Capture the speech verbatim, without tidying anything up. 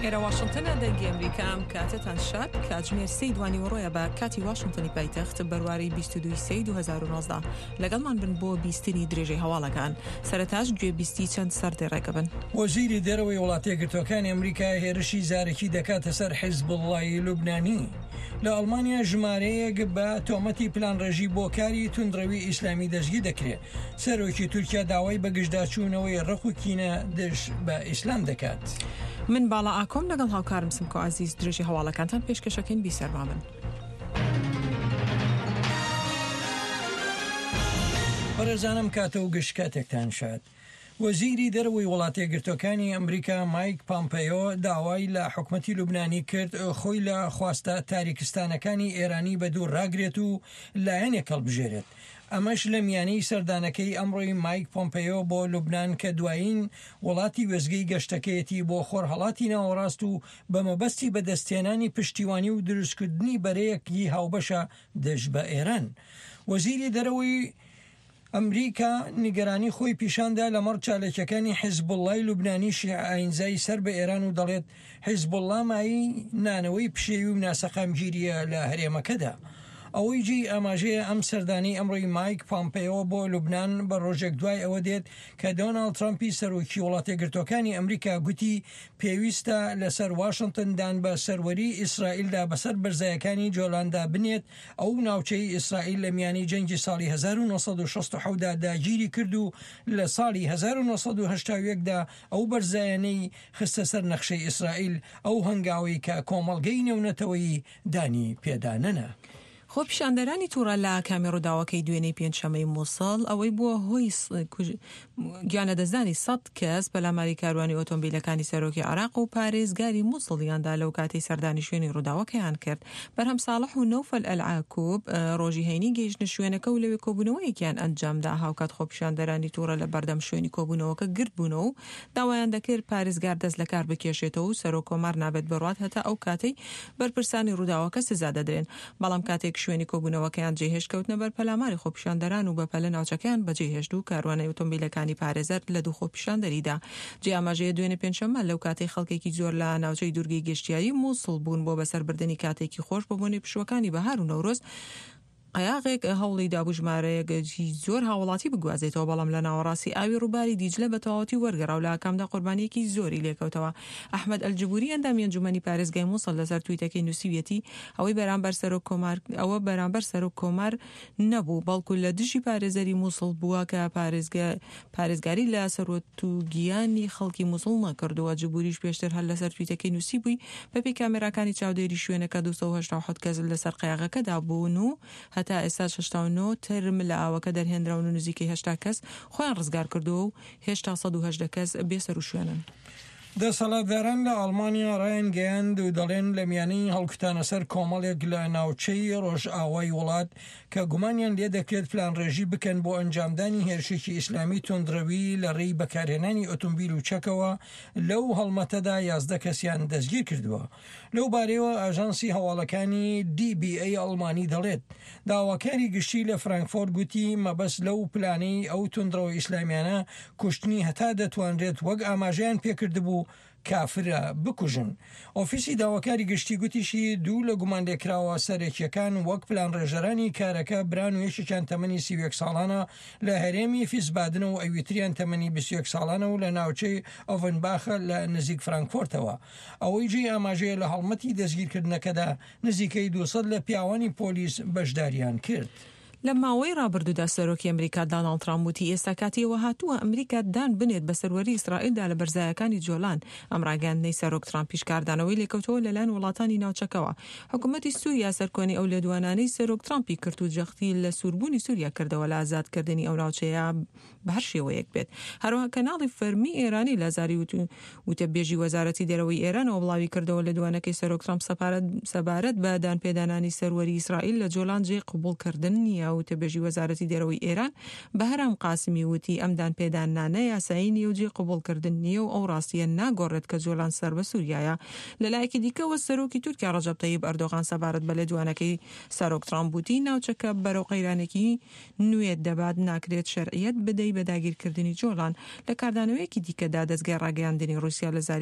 ئێرە واشنتنە، دەنگی ئەمریکا. ئەم کاتەتان شاد. کاتژمێر سێی دوانیوەڕۆیە بە کاتی واشنتنی پایتەخت، بەرواری بیست و دوو سێی دوو هەزار و نۆزدە. لەگەڵمان بن بۆ بیستنی درێژەی هەواڵەکان. سەرەتاش گوێ بیستی چەند سەردێڕێکە بن. وەزیری دەرەوەی وڵاتەیەکگرتووەکانی ئەمریکا هێرشی زارەکی دەکاتە سەر حیزبوڵڵای لوبنانی. لە ئەڵمانیا ژمارەیەک بە تۆمەتی پلانڕێژی بۆ کاری توندڕەوی ئیسلامی دەستگیر دەکرێت. سەرۆکی تورکیا داوای بەگژداچوونەوەی ڕق و کینە دژ بە ئیسلام دەکات. من باڵا ئاکۆم لەگەڵ هاوکارم سمکۆ عەزیز درێژی هەواڵەکانتان پێشکەشەکەین. بیسەرما بن. بەڕێزانم کاتە و گشت کاتێکتان شاد. وەزیری دەرەوەی وڵاتەیەکگرتووەکانی ئەمریکا مایک پامپەیۆ داوای لە حکومەتی لوبنانی کرد خۆی لە خواستە تاریکستانەکانی ئێرانی بە دوور ڕاگرێت و لایەنێک هەڵبژێرێت. ئەمەش لە میانەی سەردانەکەی ئەمڕۆی مایک پۆمپەیۆ بۆ لوبنان کە دوایین وڵاتی وێستگەی گەشتەکەیەتی بۆ خۆرهەڵاتی ناوەڕاست و بە مەبەستی بەدەستهێنانی پشتیوانی و دروستکردنی بەرەیەکی هاوبەشە دژ بە ئێران. وەزیری دەرەوەی ئەمریکا نیگەرانی خۆی پیشاندا لەمەڕ چالاکیەکانی حیزبوڵڵای لوبنانی شیعە ئاینزای سەر بە ئێران و دەڵێت حیزبوڵڵا مایەی نانەوەی پشێوی و ناسەقامگیریە لە هەرێمەکەدا. ئەوەی جێی ئاماژەیە ئەم سەردانەی ئەمڕۆی مایک پامپەیۆ بۆ لوبنان بە ڕۆژێک دوای ئەوە دێت کە دۆناڵد ترەمپی سەرۆکی وڵاتەیەکگرتووەکانی ئەمریکا گوتی پێویستە لەسەر واشنتن دان بە سەروەری ئیسرائیلدا بەسەر بەرزایەکانی جۆلاندا بنێت. ئەو ناوچەی ئیسرائیل لە میانی جەنگی ساڵی هەزار و نۆ سەد و شەست و حەوت دا داگیری کرد و لە ساڵی هەزار و نۆ سەد و هەشتا و یەک دا ئەو بەرزایانەی خستە سەر نەخشەی ئیسرائیل، ئەو هەنگاوەی کە کۆمەڵگەی نێونەتەوەیی دانی پێدا نەنا. خۆپیشاندەرانی تووڕە لە ئاکامی ڕووداوەکەی دوێنێی پێنجشەممەی مووسڵ، ئەوەی بووە هۆی گیانلەدەستدانی سەد کەس، پەلاماری کاروانی ئۆتۆمبیلەکانی سەرۆکی عێراق و پارێزگاری مووسڵیاندا لەو کاتەی سەردانی شوێنی ڕووداوەکەیان کرد. بەرهەم ساڵح و نەوفەل ئەلعاکوب ڕۆژی هەینی گەیشتنە شوێنەکە و لەوێ کۆبوونەوەیەکیان ئەنجامدا. هاوکات خۆپیشاندەرانی تووڕە لە بەردەم شوێنی کۆبوونەوەکە گردبوونەوە و داوایان دەکرد پارێزگار دەست لەکار بکێشێتەوە و سەرۆک کۆمار نابێت بڕوات هەتا ئەو کاتەی بەرپرسانی ڕووداوەکە سزا دەدرێن. بەڵام کاتێک شوێنی کۆبوونەوەکەیان جێهێشت کەوتنە بەر پەلاماری خۆپیشاندەران و بەپەلە ناوچەکەیان بەجێهێشت و کاروانەی ئۆتۆمبیلەکانی پارێزەر لە دوو خۆپیشاندەریدا. جێ ئاماژەیە دوێنێ پێنجشەممە لەو کاتەی خەڵکێکی زۆر لە ناوچەی دوورگەی گەشتیاری مووسڵ بوون بۆ بەسەربردنی کاتێکی خۆش بۆ بۆنەی پشووەکانی بەهار و نەورۆز، قەیاغێک هەوڵی دابوو ژمارەیەکی زۆر هاوڵاتی بگوازێتەوە، بەڵام لە ناوەڕاستی ئاوی ڕووباری دیجلە بە تەواوەتی وەرگەڕا و لە ئاکامدا قوربانییەکی زۆری لێکەوتەوە. ئەحمەد ئەلجبوری ئەندامی ئەنجومەنی پارێزگای موسڵ لەسەر تویتەکەی نووسیویەتی، ئەوەی بەرامبەر سەرۆک کۆمار ئەوە بەرامبەر سەرۆک کۆمار نەبوو، بەڵکو لە دژی پارێزەری موسڵ بووە کە پارێزگاری لە سەروەت و گیانی خەڵکی موسڵ نەکردووە. جبوریش پێشتر هەر لەسەر تویتەکەی نووسیبووی، بەپێی کامێراکانی چاودێری شوێنەکە دوو سەد و هەشتا و حەوت کەس لەسەر قەیاغەکەدا بوون و هەتا ئێستاش هەشتا و نۆ تەرم لە ئاوەکە دەرهێنراون و نزیکەی هەشتا کەس خۆیان ڕزگار کردووە و هێشتا سەد و هەژدە کەس بێسەروشوێنن. دەسەڵاتداران لە ئەڵمانیا ڕایانگەیاند و دەڵێن لە میانەی هەڵکوتانە سەر کۆمەڵێک لە ناوچەی ڕۆژئاوای وڵات کە گومانیان لێدەکرێت پلانڕێژی بکەن بۆ ئەنجامدانی هێرشێکی ئیسلامی توندڕەوی لە ڕێی بەکارهێنانی ئۆتۆمبیل و چەکەوە، لەو هەڵمەتەدا یازدە کەسیان دەستگیر کردووە. لەو بارەیەوە ئاژانسی هەواڵەکانی دی بی ئەی ئەڵمانی دەڵێت داواکاری گشتی لە فرانکفۆرت گوتی مەبەست لەو پلانەی ئەو توندڕەوە ئیسلامیانە کوشتنی هەتا دەتوانرێت وەک ئاماژەیان پێکردبوو کافرە بکوژن. ئۆفیسی داواکاری گشتی گوتیشی دوو لە گومانلێکراوە سەرەکیەکان وەک پلانڕێژەرانی کارەکە بران و یەکێکیان تەمەنی سی و یەک ساڵانە لە هەرێمی فیسبادنە و ئەویتریان تەمەنی بیست و یەک ساڵانە و لە ناوچەی ئۆڤنباخە لە نزیک فرانکفۆرتەوە. ئەوەی جێی ئاماژەیە لە هەڵمەتی دەستگیرکردنەکەدا نزیکەی دوو سەد لە پیاوانی پۆلیس بەشداریان کرد. لە ماوەی ڕابردوودا سەرۆکی ئەمریکا داناڵد ترامپ وتی ئێستا کاتی ئەوە هاتووە ئەمریکا دان بنێت بە سەروەری ئیسرائیلدا لە بەرزایەکانی جۆلان. ئەم ڕاگەیاندنەی سەرۆک ترامپیش کاردانەوەی لێکەوتەوە لەلایەن وڵاتانی ناوچەکەوە. حکومەتی سوریا سەرکۆنەی ئەو لێدوانانەی سەرۆک ترامپی کرد و جەختی لە سووربوونی سوریا کردەوە لە ئازادکردنی ئەو ناوچەیە بە هەر شێوەیەک بێت. هەروەها کەناڵی فەرمی ئێرانی لە زاری وتەبێژی وەزارەتی دەرەوەی ئێرانەوە بڵاوی کردەوە لێدوانەکەی سەرۆک ترامپ سەبارەت بە دانپێدانانی سەروەری ئیسرائیل لە جۆلان جێی قبوڵکردن نییە. وتەبێژی وەزارەتی دەرەوەی ئێران بەهرام قاسمی وتی ئەم دانپێدانانە یاسایی نییە و جێی قبوڵکردن نییە و ئەو ڕاستیە ناگۆڕێت کە جۆلان سەر بە سووریایە. لەلایەکی دیکەوە سەرۆکی تورکیا ڕەجەب تەیب ئەردۆغان سەبارەت بە لێدوانەکەی سەرۆک ترامپ وتی ناوچەکە بەرەو قەیرانێکی نوێ دەبات، ناکرێت شەرعیەت بدەی بە داگیرکردنی جۆلان. لە کاردانەوەیەکی دیکەدا دەزگای ڕاگەیاندنی ڕووسیا لە زاری